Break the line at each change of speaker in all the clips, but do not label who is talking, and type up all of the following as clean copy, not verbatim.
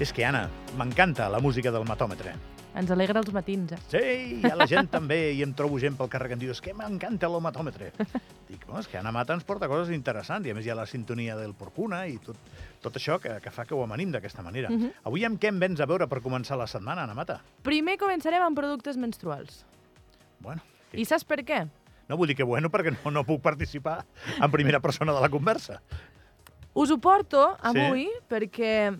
És que, Anna, m'encanta la música del matòmetre.
Ens alegra els matins, eh?
Sí, i a la gent també, i em trobo gent pel carrer que em diu és que m'encanta l'homatòmetre. Dic, és que Anna Mata ens porta coses interessants, i a més hi ha la sintonia del Porcuna i tot això que fa que ho amanim d'aquesta manera. Avui amb què em vens a veure per començar la setmana, Anna Mata?
Primer començarem amb productes menstruals.
Bueno.
I saps per què?
No vull dir que bueno, perquè no puc participar en primera persona de la conversa.
Us ho porto avui perquè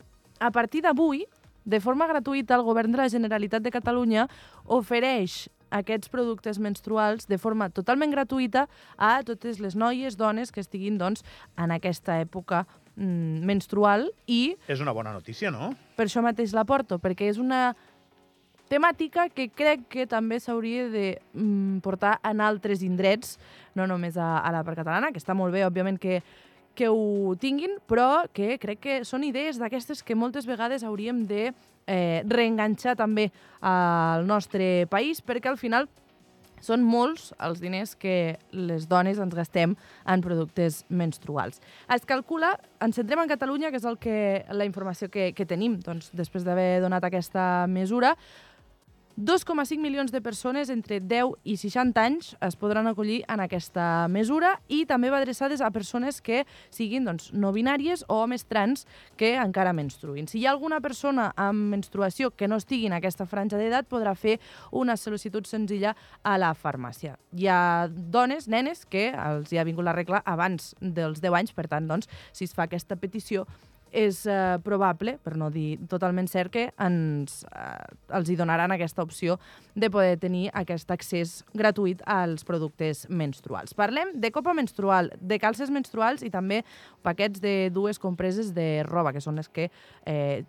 a partir d'avui, de forma gratuïta, el Govern de la Generalitat de Catalunya ofereix aquests productes menstruals de forma totalment gratuïta a totes les noies, dones que estiguin en aquesta època menstrual i...
És una bona notícia, no?
Per això mateix la porto, perquè és una temàtica que crec que també s'hauria de portar en altres indrets, no només a la part catalana, que està molt bé, òbviament, que ho tinguin, però que crec que són idees d'aquestes que moltes vegades hauríem de reenganxar també al nostre país, perquè al final són molts els diners que les dones ens gastem en productes menstruals. Es calcula, ens centrem en Catalunya, que és la informació que tenim després d'haver donat aquesta mesura, 2,5 milions de persones entre 10 i 60 anys es podran acollir en aquesta mesura i també va adreçades a persones que siguin no binàries o homes trans que encara menstruïn. Si hi ha alguna persona amb menstruació que no estigui en aquesta franja d'edat, podrà fer una sol·licitud senzilla a la farmàcia. Hi ha dones, nenes, que els hi ha vingut la regla abans dels 10 anys, per tant, si es fa aquesta petició, és probable, per no dir totalment cert, que els hi donaran aquesta opció de poder tenir aquest accés gratuït als productes menstruals. Parlem de copa menstrual, de calces menstruals i també paquets de 2 compreses de roba, que són les que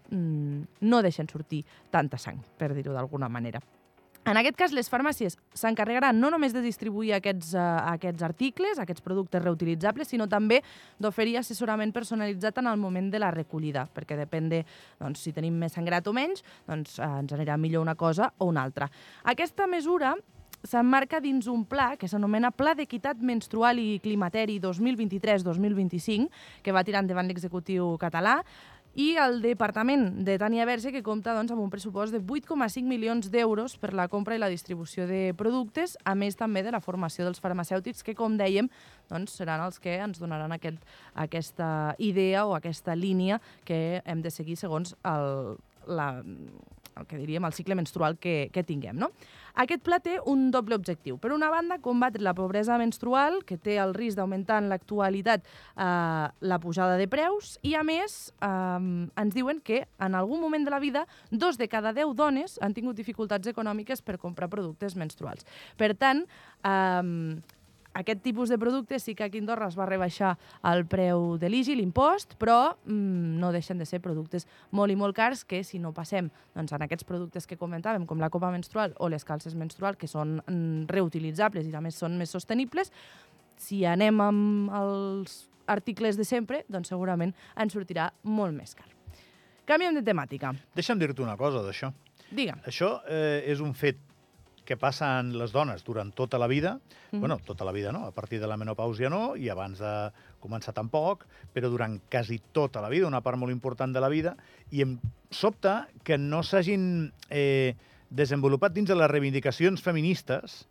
no deixen sortir tanta sang, per dir-ho d'alguna manera. En aquest cas, les farmàcies s'encarregaran no només de distribuir aquests articles, aquests productes reutilitzables, sinó també d'oferir assessorament personalitzat en el moment de la recollida, perquè depèn de si tenim més sangrat o menys, ens anirà millor una cosa o una altra. Aquesta mesura s'emmarca dins un pla que s'anomena Pla d'Equitat Menstrual i Climateri 2023-2025, que va tirar endavant l'executiu català, i el Departament de Tània Verge, que compta amb un pressupost de 8,5 milions d'euros per la compra i la distribució de productes, a més també de la formació dels farmacèutics, que, com dèiem, seran els que ens donaran aquesta idea o aquesta línia que hem de seguir segons el cicle menstrual que tinguem, no? Aquest pla té un doble objectiu. Per una banda, combatre la pobresa menstrual, que té el risc d'augmentar en l'actualitat la pujada de preus, i a més ens diuen que en algun moment de la vida 2 de cada 10 dones han tingut dificultats econòmiques per comprar productes menstruals. Per tant, aquest tipus de productes sí que aquí a Andorra es va rebaixar el preu de l'IGI, l'impost, però no deixen de ser productes molt i molt cars que, si no passem en aquests productes que comentàvem, com la copa menstrual o les calces menstruals, que són reutilitzables i a més són més sostenibles, si anem amb els articles de sempre, doncs segurament ens sortirà molt més car. Canviem de temàtica.
Deixa'm dir-te una cosa d'això.
Digue'm.
Això és un fet que passa en les dones durant tota la vida, bueno, tota la vida no, a partir de la menopàusia no, i abans de començar tampoc, però durant quasi tota la vida, una part molt important de la vida, i em sobta que no s'hagin desenvolupat dins de les reivindicacions feministes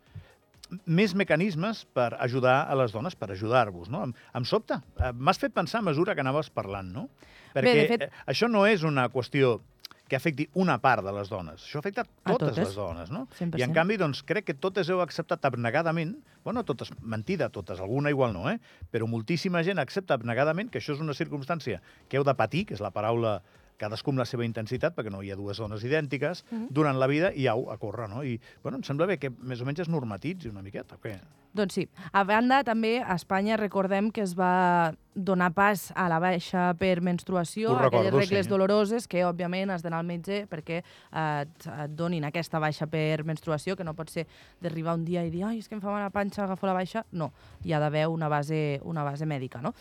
més mecanismes per ajudar a les dones, per ajudar-vos, no? Em sobta. M'has fet pensar a mesura que anaves parlant, no? Perquè això no és una qüestió que afecti una part de les dones. Això afecta totes les dones, no?
100%.
I, en canvi, crec que totes heu acceptat abnegadament, bueno, totes, mentida, totes, alguna igual no, però moltíssima gent accepta abnegadament que això és una circumstància que heu de patir, que és la paraula cadascú amb la seva intensitat, perquè no hi ha 2 dones idèntiques, durant la vida i au, a córrer, no? I, bueno, em sembla bé que més o menys es normatitzi una miqueta, o què?
Doncs sí. A banda, també, a Espanya recordem que es va donar pas a la baixa per menstruació, aquelles regles doloroses que, òbviament, has d'anar al metge perquè et donin aquesta baixa per menstruació, que no pot ser d'arribar un dia i dir ai, és que em fa mal la panxa, agafo la baixa. No, hi ha d'haver una base mèdica, no?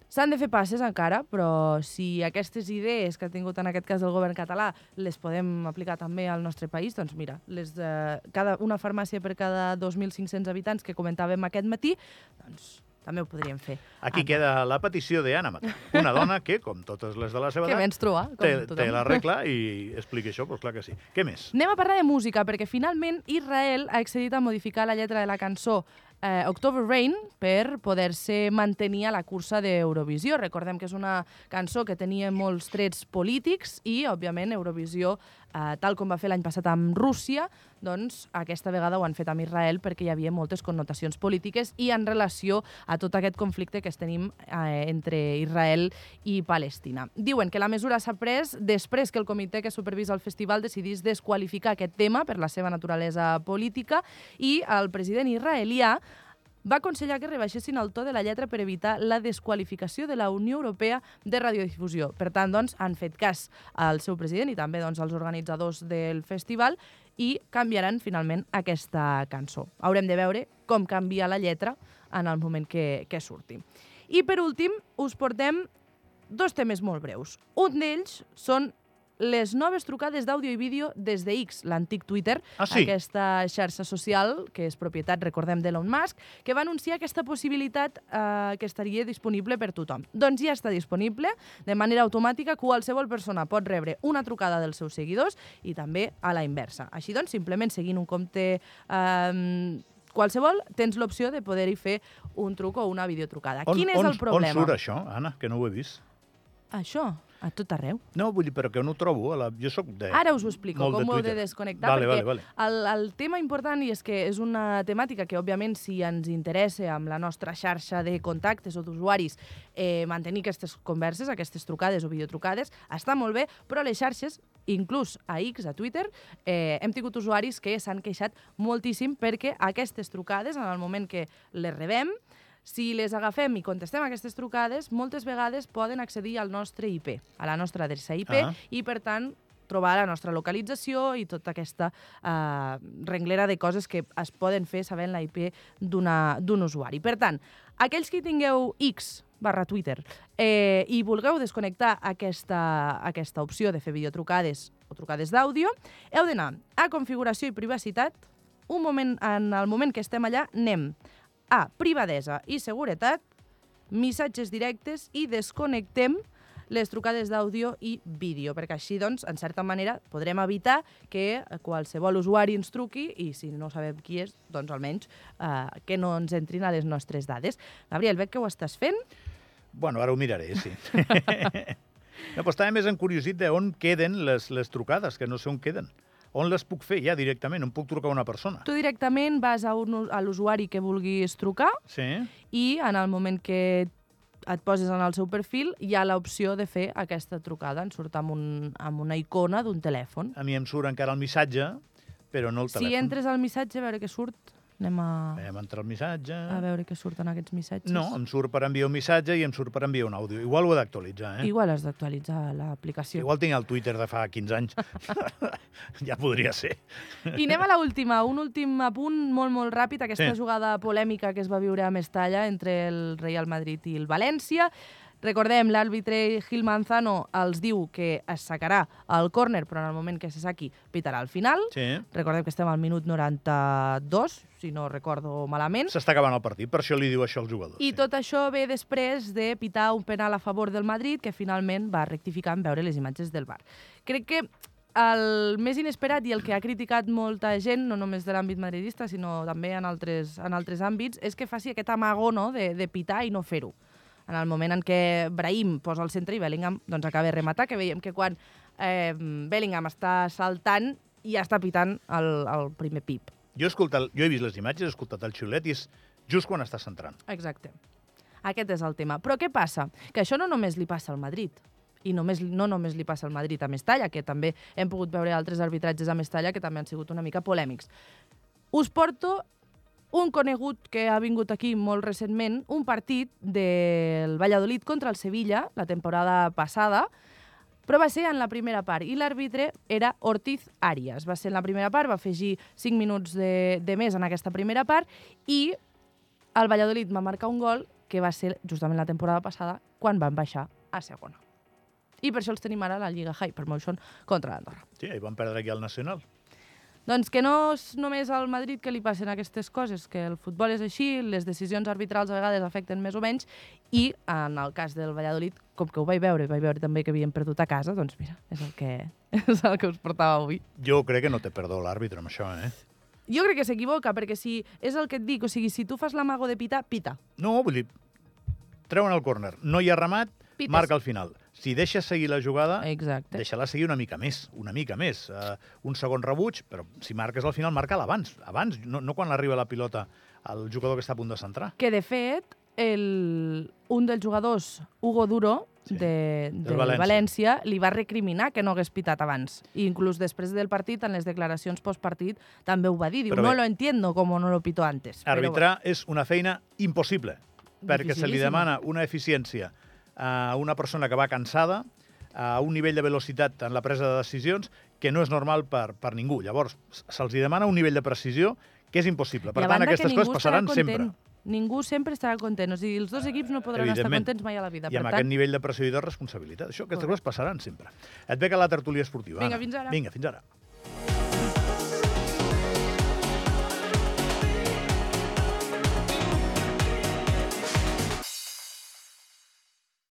S'han de fer passes encara, però si aquestes idees que ha tingut en aquest cas el govern català les podem aplicar també al nostre país, doncs mira, una farmàcia per cada 2.500 habitants que comentàvem aquest matí, doncs també ho podríem fer.
Aquí queda la petició d'Anna Mata, una dona que, com totes les de la seva
Que
edat,
menstrua, com tothom.
té la regla i explica això, doncs clar que sí. Què més?
Anem a parlar de música, perquè finalment Israel ha accedit a modificar la lletra de la cançó October Rain per poder-se mantenir a la cursa d'Eurovisió. Recordem que és una cançó que tenia molts trets polítics i, òbviament, Eurovisió, tal com va fer l'any passat amb Rússia, doncs aquesta vegada ho han fet amb Israel perquè hi havia moltes connotacions polítiques i en relació a tot aquest conflicte que tenim entre Israel i Palestina. Diuen que la mesura s'ha pres després que el comitè que supervisa el festival decidís desqualificar aquest tema per la seva naturalesa política i el president israelià va aconsellar que rebaixessin el to de la lletra per evitar la desqualificació de la Unió Europea de Radiodifusió. Per tant, doncs, han fet cas al seu president i també doncs, als organitzadors del festival i canviaran finalment aquesta cançó. Haurem de veure com canvia la lletra en el moment que surti. I per últim, us portem 2 temes molt breus. Un d'ells són les noves trucades d'àudio i vídeo des de X, l'antic Twitter, aquesta xarxa social que és propietat, recordem, d'Elon Musk, que va anunciar aquesta possibilitat que estaria disponible per tothom. Doncs ja està disponible, de manera automàtica, qualsevol persona pot rebre una trucada dels seus seguidors i també a la inversa. Així doncs, simplement seguint un compte qualsevol, tens l'opció de poder-hi fer un truc o una videotrucada. Quin és el problema?
On surt això, Anna, que no ho he vist?
Això? A tot arreu.
No, vull dir, però que no ho trobo. Jo soc de...
Ara us ho explico, com ho heu de desconnectar, perquè
vale.
El tema important és que és una temàtica que, òbviament, si ens interessa amb la nostra xarxa de contactes o d'usuaris mantenir aquestes converses, aquestes trucades o videotrucades, està molt bé, però les xarxes, inclús a X, a Twitter, hem tingut usuaris que s'han queixat moltíssim perquè aquestes trucades, en el moment que les rebem, si les agafem i contestem aquestes trucades, moltes vegades poden accedir al nostre IP, a la nostra adreça IP, i, per tant, trobar la nostra localització i tota aquesta renglera de coses que es poden fer sabent la IP d'un usuari. Per tant, aquells que tingueu X/Twitter i vulgueu desconnectar aquesta opció de fer videotrucades o trucades d'àudio, heu d'anar a configuració i privacitat. En el moment que estem allà, anem a privadesa i seguretat, missatges directes i desconnectem les trucades d'àudio i vídeo, perquè així, doncs, en certa manera, podrem evitar que qualsevol usuari ens truqui i, si no sabem qui és, doncs almenys que no ens entrin a les nostres dades. Gabriel, veig que ho estàs fent?
Bueno, ara ho miraré, sí. No, però estava més encuriosit d'on queden les trucades, que no sé on queden. On les puc fer ja directament? On puc trucar a una persona?
Tu directament vas a l'usuari que vulguis trucar i en el moment que et poses en el seu perfil hi ha l'opció de fer aquesta trucada. En surt amb una icona d'un telèfon.
A mi em surt encara el missatge, però no el telèfon.
Si entres al missatge, a veure què surt. Anem
a entrar al missatge.
A veure què surten aquests missatges.
No, em surt per enviar un missatge i em surt per enviar un àudio. Igual ho he d'actualitzar,
Igual has d'actualitzar l'aplicació.
Igual tinc el Twitter de fa 15 anys. Ja podria ser.
I anem a l'última. Un últim apunt molt, molt ràpid. Aquesta jugada polèmica que es va viure a Mestalla entre el Real Madrid i el València. Recordem, l'àrbitre Gil Manzano els diu que es sacarà el córner, però en el moment que se saqui pitarà al final. Recordem que estem al minut 92, si no recordo malament.
S'està acabant el partit, per això li diu això als jugadors.
I tot això ve després de pitar un penal a favor del Madrid, que finalment va rectificar en veure les imatges del VAR. Crec que el més inesperat i el que ha criticat molta gent, no només de l'àmbit madridista, sinó també en altres àmbits, és que faci aquest amago de pitar i no fer-ho. En el moment en què Brahim posa al centre i Bellingham doncs, acaba de rematar, que veiem que quan Bellingham està saltant ja està pitant el primer pip.
Jo he vist les imatges, he escoltat el xiulet i és just quan està centrant.
Exacte. Aquest és el tema. Però què passa? Que això no només li passa al Madrid. I no només li passa al Madrid a Mestalla, que també hem pogut veure altres arbitratges a Mestalla que també han sigut una mica polèmics. Us porto un conegut que ha vingut aquí molt recentment, un partit del Valladolid contra el Sevilla, la temporada passada, però va ser en la primera part, i l'àrbitre era Ortiz Arias. Va ser en la primera part, va afegir 5 minuts de més en aquesta primera part, i el Valladolid va marcar un gol que va ser justament la temporada passada, quan van baixar a segona. I per això els tenim ara a la Lliga Hypermotion contra l'Andorra.
Sí, i van perdre aquí al Nacional.
Doncs que no és només al Madrid que li passen aquestes coses, que el futbol és així, les decisions arbitrals a vegades afecten més o menys, i en el cas del Valladolid, com que ho vaig veure també que havien perdut a casa, doncs mira, és el que us portava avui.
Jo crec que no té perdó l'àrbitre amb això, eh?
Jo crec que s'equivoca, perquè si és el que et dic, o sigui, si tu fas l'amago de pitar, pita.
No, vull dir, treuen el córner, no hi ha remat,
Pites.
marca al final. Si deixes seguir la jugada,
Exacte.
deixa-la seguir una mica més. Un segon rebuig, però si marques al final, marca-la abans, no quan arriba la pilota al jugador que està a punt de centrar.
Que, de fet, un dels jugadors, Hugo Duro, del València, li va recriminar que no hagués pitat abans. I inclús després del partit, en les declaracions postpartit, també ho va dir. Diu, no lo entiendo como no lo pito antes.
Arbitrar és una feina impossible, perquè se li demana una eficiència a una persona que va cansada, a un nivell de velocitat en la presa de decisions que no és normal per ningú. Llavors, se'ls demana un nivell de precisió que és impossible. Per tant, aquestes coses passaran sempre.
Ningú sempre estarà content. O sigui, els dos equips no podran estar contents mai a la vida.
I amb aquest nivell de pressió i de responsabilitat. Aquestes coses passaran sempre. Et ve que la tertúlia esportiva.
Vinga, fins ara.
Vinga, fins ara.